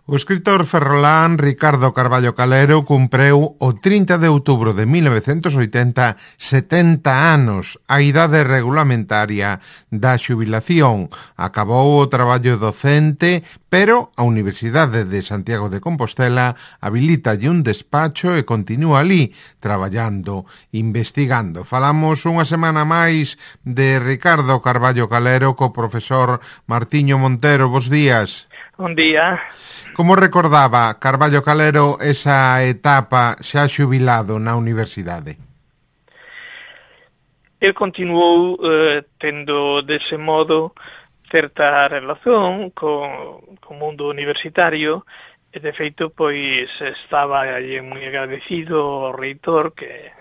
O escritor ferrolán Ricardo Carballo Calero cumpreu o 30 de outubro de 1980 70 anos, a idade regulamentaria da xubilación. Acabou o traballo docente, pero a Universidade de Santiago de Compostela habilitalle un despacho e continúa ali, traballando, investigando. Falamos unha semana máis de Ricardo Carballo Calero co profesor Martiño Montero. Bos días. Bon día. Como recordaba Carballo Calero esa etapa xa xubilado na universidade? El continuou tendo dese modo certa relación co mundo universitario e de feito pois estaba moi agradecido ao reitor que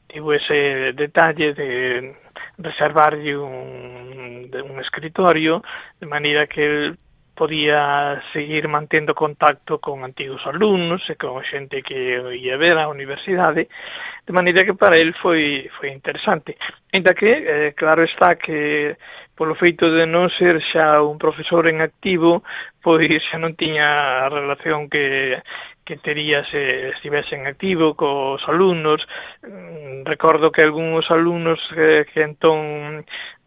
tivo ese detalle de reservarlle un escritorio de maneira que el podía seguir mantendo contacto con antigos alumnos e con xente que ia ver á universidade, de maneira que para el foi interesante. Ainda que, claro está que polo feito de non ser xa un profesor en activo, pois xa non tiña a relación que tería se estivese en activo cos alumnos. Recordo que algúns alumnos que entón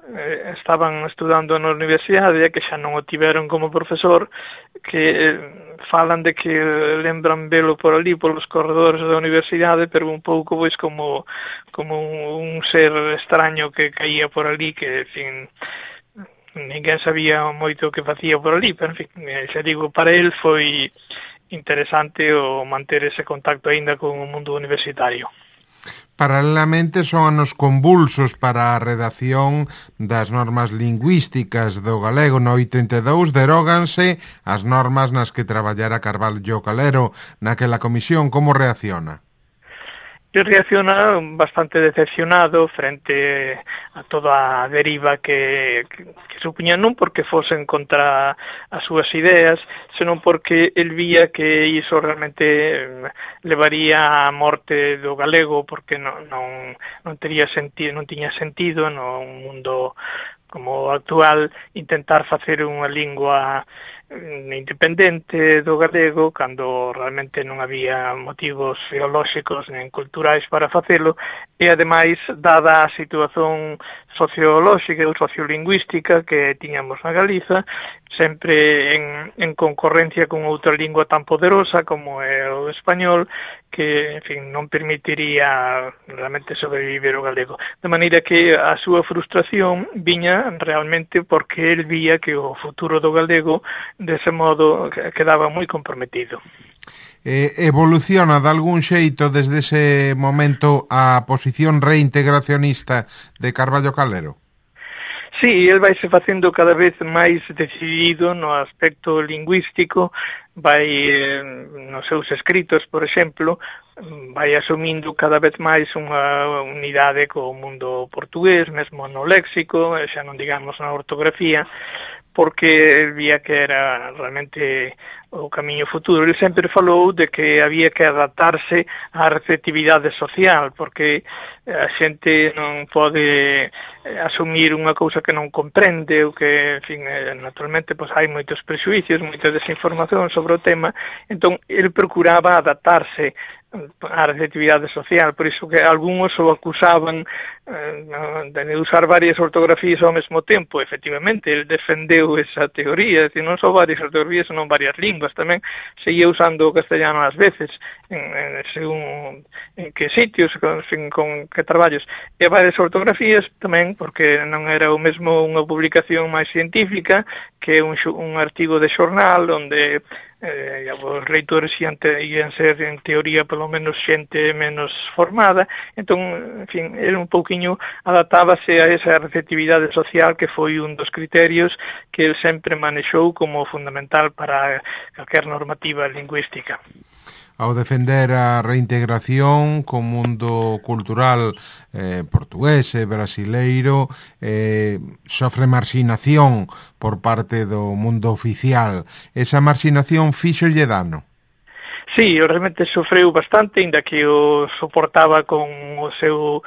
estaban estudando na universidade e que xa non o tiveron como profesor, que falan de que lembran velo por ali, polos corredores da universidade, pero un pouco pois como un ser extraño que caía por ali, que, en fin, ninguén sabía moito o que facía por ali, pero, en fin, xa digo, para el foi interesante o manter ese contacto aínda con o mundo universitario. Paralelamente son anos convulsos para a redacción das normas lingüísticas do galego. No 82 deróganse as normas nas que traballara Carballo Calero naquela comisión. Como reacciona? Eu reacciona bastante decepcionado frente a toda a deriva que supuña, non porque fosen contra as súas ideas, senón porque el vía que iso realmente levaría á morte do galego, porque non tiña sentido no mundo como actual intentar facer unha lingua independente do galego cando realmente non había motivos filolóxicos nen culturais para facelo, e ademais, dada a situación sociolóxica ou sociolingüística que tiñamos na Galiza, sempre en concorrencia con outra lingua tan poderosa como é o español, que, en fin, non permitiría realmente sobrevivir o galego. De maneira que a súa frustración viña realmente porque el vía que o futuro do galego dese modo quedaba moi comprometido. Evoluciona de algún xeito desde ese momento a posición reintegracionista de Carballo Calero? Sí, el vaise facendo cada vez máis decidido no aspecto lingüístico, vai nos seus escritos, por exemplo, vai asumindo cada vez máis unha unidade co mundo portugués, mesmo no léxico, xa non digamos na ortografía, porque vía que era realmente o camiño futuro. Ele sempre falou de que había que adaptarse á receptividade social, porque a xente non pode asumir unha cousa que non comprende, ou que, en fin, naturalmente, pois hai moitos prexuicios, moita desinformación sobre o tema, entón, ele procuraba adaptarse a receptividade social, por iso que algúns o acusaban de usar varias ortografías ao mesmo tempo. Efectivamente, ele defendeu esa teoría, decir, non só varias ortografías, senón varias linguas tamén. Seguía usando o castellano ás veces, según en que sitios, con que traballos, e varias ortografías tamén, porque non era o mesmo unha publicación máis científica que un artigo de xornal onde os leitores ian ser, en teoría, polo menos xente menos formada. Entón, en fin, era un pouquiño adaptábase a esa receptividade social que foi un dos criterios que el sempre manexou como fundamental para calquer normativa lingüística. Ao defender a reintegración co mundo cultural portugués e brasileiro, sofre marxinación por parte do mundo oficial. Esa marxinación fíxolle dano? Sí, realmente sofreu bastante, inda que o soportaba con o seu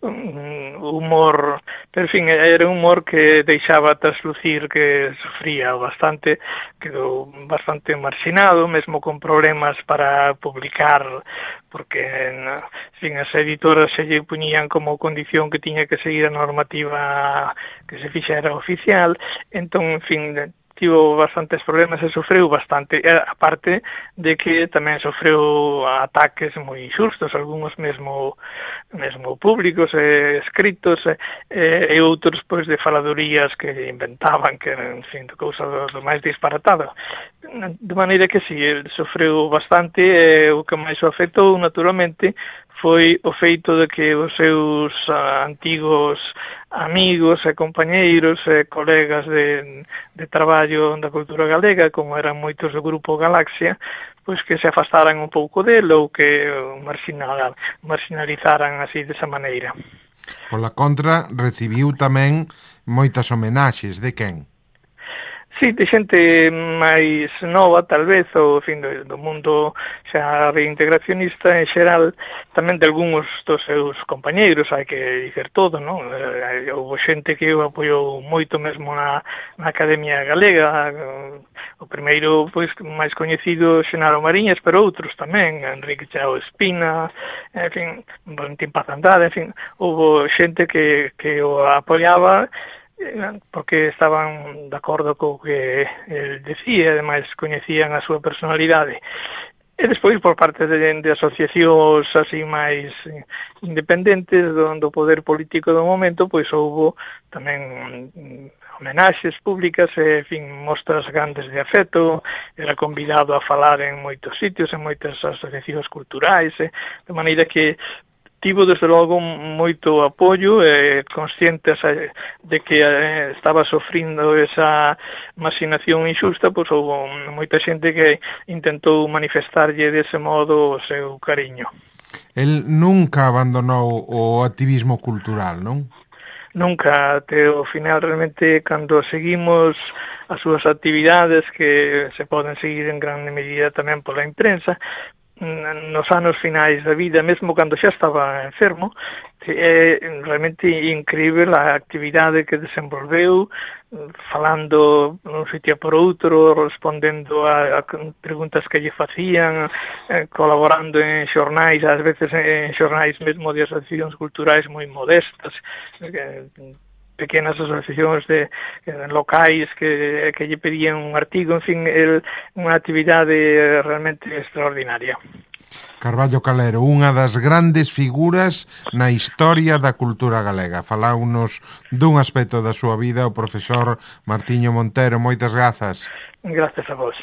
humor, pero en fin, era un humor que deixaba traslucir que sofría bastante, quedou bastante marxinado, mesmo con problemas para publicar, porque en fin, as editoras se lle puñían como condición que tiña que seguir a normativa que se fixera oficial, entón, en fin, tivo bastantes problemas e sofreu bastante, aparte de que tamén sofreu ataques moi inxustos, algúns mesmo públicos, escritos, e outros pois de faladurías que inventaban, que eran, en fin, cousa do máis disparatada. De maneira que si, el sofreu bastante, e o que máis o afectou, naturalmente, foi o feito de que os seus antigos amigos e compañeiros e colegas de traballo da cultura galega, como eran moitos do grupo Galaxia, pois que se afastaran un pouco del ou que marginalizaran así desa maneira. Pola contra, recibiu tamén moitas homenaxes. De quen? Sí, de xente máis nova, tal vez, ou, en fin, do mundo xa reintegracionista en xeral, tamén de algúns dos seus compañeiros, hai que dicer todo, non? Houve xente que o apoiou moito mesmo na Academia Galega, o primeiro, pois, máis coñecido, Xenaro Mariñas, pero outros tamén, Enrique Chao Espina, en fin, Valentín Paz Andrade, en fin, houve xente que o apoiaba, porque estaban de acordo co que el decía, ademais coñecían a súa personalidade. E despois, por parte de asociacións así máis independentes do poder político do momento, pois houbo tamén homenaxes públicas e, en fin, mostras grandes de afecto, era convidado a falar en moitos sitios, en moitas asociacións culturais, de maneira que tivo, desde logo, moito apoio, conscientes de que estaba sofrindo esa marxinación injusta, pois houve moita xente que intentou manifestarlle dese modo o seu cariño. El nunca abandonou o activismo cultural, non? Nunca, até o final, realmente, cando seguimos as súas actividades, que se poden seguir en grande medida tamén pola imprensa, nos anos finais da vida, mesmo cando xa estaba enfermo, é realmente incrível a actividade que desenvolveu, falando un sitio por outro, respondendo a preguntas que lle facían, colaborando en xornais, ás veces en xornais mesmo de asociacións culturais moi modestas, pequenas asociacións locais que lle pedían un artigo, en fin, unha actividade realmente extraordinaria. Carballo Calero, unha das grandes figuras na historia da cultura galega. Faláunos dun aspecto da súa vida o profesor Martiño Montero. Moitas grazas. Grazas a vos.